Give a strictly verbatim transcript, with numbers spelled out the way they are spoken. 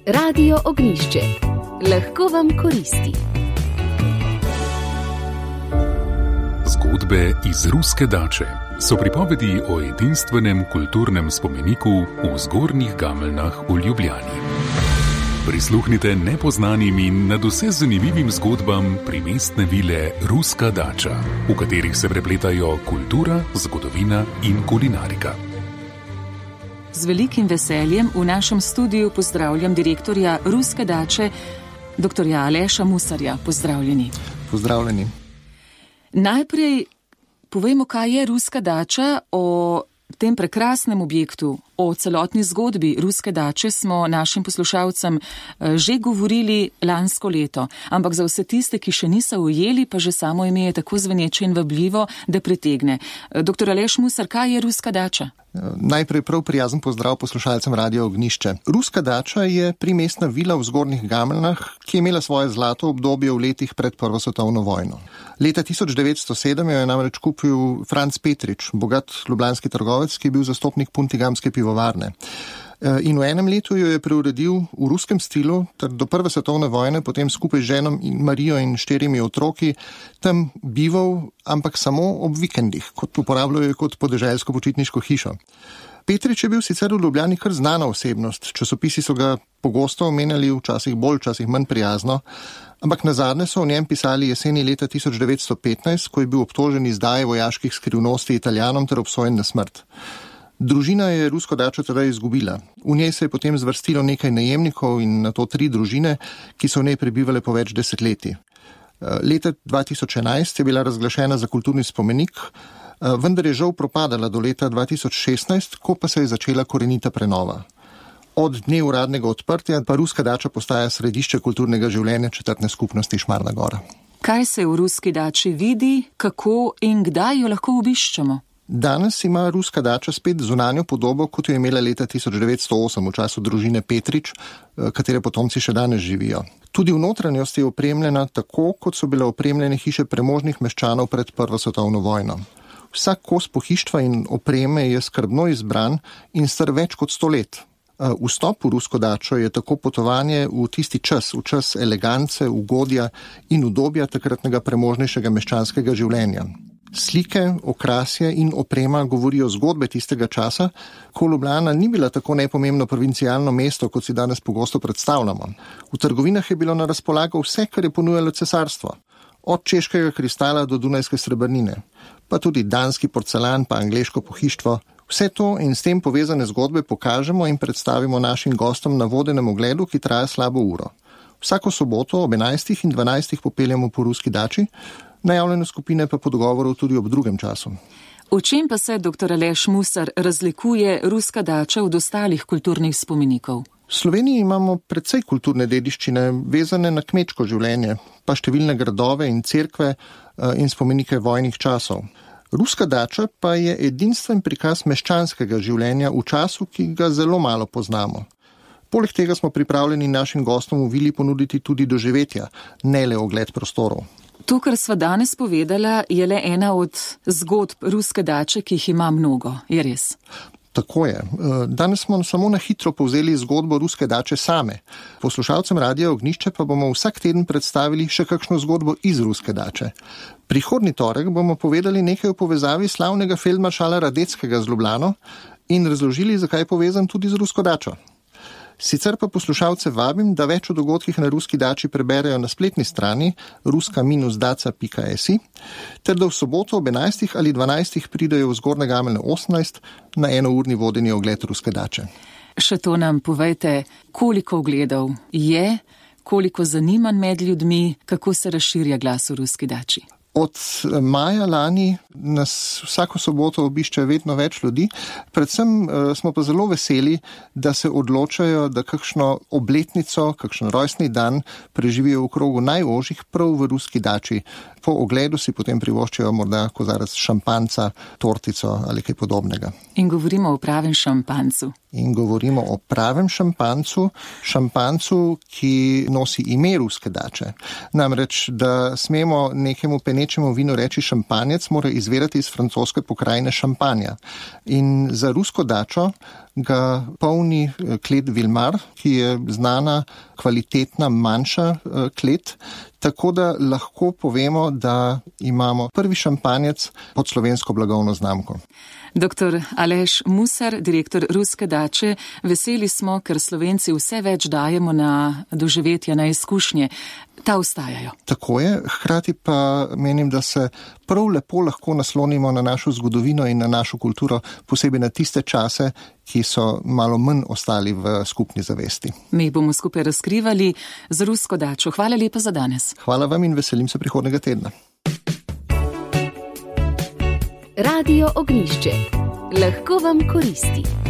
Radio Ognjišče. Lahko vam koristi. Zgodbe iz Ruske dače so pripovedi o edinstvenem kulturnem spomeniku v Zgornjih Gameljnah v Ljubljani. Prisluhnite nepoznanim in nadvse zanimivim zgodbam primestne vile Ruska dača, v katerih se prepletajo kultura, zgodovina in kulinarika. Z velikim veseljem v našem studiu pozdravljam direktorja Ruske dače, doktorja Aleša Musarja. Pozdravljeni. Pozdravljeni. Najprej povejmo, kaj je Ruska dača. O tem prekrasnem objektu, o celotni zgodbi Ruske dače smo našim poslušalcem že govorili lansko leto, ampak za vse tiste, ki še niso ujeli, pa že samo ime je tako zveneče in vabljivo, da pritegne. Doktor Aleš Musar, kaj je Ruska dača? Najprej prav prijazen pozdrav poslušalcem Radio Ognjišče. Ruska dača je primestna vila v Zgornjih Gameljnah, ki je imela svoje zlato obdobje v letih pred Prvo svetovno vojno. Leta tisoč devetsto sedem jo je namreč kupil Franc Petrič, bogat ljubljanski trgovec, ki je bil zastopnik puntigamske pivovarne. In v enem letu jo je preuredil v ruskem stilu, ter do Prve svetovne vojne potem skupaj z ženo in Marijo in štirimi otroki tam bival, ampak samo ob vikendih, kot uporabljajo kot podeželsko počitniško hišo. Petrič je bil sicer v Ljubljani kar znana osebnost, časopisi so ga pogosto omenjali, včasih bolj, včasih manj prijazno, ampak nazadnje so o njem pisali jeseni leta tisoč devetsto petnajst, ko je bil obtožen izdaje vojaških skrivnosti Italijanom ter obsojen na smrt. Družina je Rusko dačo tedaj izgubila. V njej se je potem zvrstilo nekaj najemnikov in nato tri družine, ki so v njej prebivale po več desetletij. Leta dva tisoč enajst je bila razglašena za kulturni spomenik, vendar je žal propadala do leta dva tisoč šestnajst, ko pa se je začela korenita prenova. Od dne uradnega odprtja pa Ruska dača postaja središče kulturnega življenja četrtne skupnosti Šmarna gora. Kaj se v Ruski dači vidi, kako in kdaj jo lahko obiščemo? Danes ima Ruska dača spet zunanjo podobo, kot jo je imela leta tisoč devetsto osem v času družine Petrič, katere potomci še danes živijo. Tudi v notranjosti je opremljena tako, kot so bile opremljene hiše premožnih meščanov pred Prvo svetovno vojno. Vsak kos pohištva in opreme je skrbno izbran in star več kot sto let. Vstop v Rusko dačo je tako potovanje v tisti čas, v čas elegance, ugodja in udobja takratnega premožnejšega meščanskega življenja. Slike, okrasje in oprema govorijo zgodbe tistega časa, ko Ljubljana ni bila tako nepomembno provincialno mesto, kot si danes pogosto predstavljamo. V trgovinah je bilo na razpolago vse, kar je ponujalo cesarstvo. Od češkega kristala do dunajske srebrnine, pa tudi danski porcelan pa angleško pohištvo. Vse to in s tem povezane zgodbe pokažemo in predstavimo našim gostom na vodenem ogledu, ki traja slabo uro. Vsako soboto ob enajstih in dvanajstih popeljamo po Ruski dači, najavljene skupine pa po dogovoru tudi ob drugem času. V čem pa se, doktor Aleš Musar, razlikuje Ruska dača od ostalih kulturnih spomenikov? V Sloveniji imamo precej kulturne dediščine, vezane na kmečko življenje, pa številne gradove in cerkve in spomenike vojnih časov. Ruska dača pa je edinstven prikaz meščanskega življenja v času, ki ga zelo malo poznamo. Poleg tega smo pripravljeni našim gostom v vili ponuditi tudi doživetja, ne le ogled prostorov. To, kar sva danes povedala, je le ena od zgodb Ruske dače, ki jih ima mnogo. Je res? Tako je. Danes smo samo na hitro povzeli zgodbo Ruske dače same. Poslušalcem Radia Ognjišče pa bomo vsak teden predstavili še kakšno zgodbo iz Ruske dače. Prihodnji torek bomo povedali nekaj o povezavi slavnega feldmaršala Radeckega z Ljubljano in razložili, zakaj je povezan tudi z Rusko dačo. Sicer pa poslušalce vabim, da več o dogodkih na Ruski dači preberejo na spletni strani ruska daca pika si, ter da v soboto ob enajstih ali dvanajstih pridejo v Zgornje Gameljne osemnajst na enourni vodeni ogled Ruske dače. Še to nam povejte, koliko ogledov je, koliko zanimanj med ljudmi, kako se razširja glas v Ruski dači? Od maja lani nas vsako soboto obišče vedno več ljudi, predvsem smo pa zelo veseli, da se odločajo, da kakšno obletnico, kakšen rojstni dan preživijo v krogu najožjih prav v Ruski dači. Po ogledu si potem privoščijo morda kozarec šampanca, tortico ali kaj podobnega. In govorimo o pravem šampancu. In govorimo o pravem šampancu, šampancu, ki nosi ime Ruske dače. Namreč, da smemo nekemu penečemu vinu reči šampanjec, mora izvirati iz francoske pokrajine Šampanja. In za Rusko dačo ga polni klet Vilmar, ki je znana, kvalitetna, manjša klet, tako da lahko povemo, da imamo prvi šampanjec pod slovensko blagovno znamko. Doktor Aleš Musar, direktor Ruske dače, veseli smo, ker Slovenci vse več dajemo na doživetja, na izkušnje. Ta ostajajo. Tako je, hkrati pa menim, da se prav lepo lahko naslonimo na našo zgodovino in na našo kulturo, posebej na tiste čase, ki so malo manj ostali v skupni zavesti. Mi bomo skupaj razkrivali z Rusko dačo. Hvala lepa za danes. Hvala vam in veselim se prihodnega tedna. Radio Ognišče. Lahko vam koristi.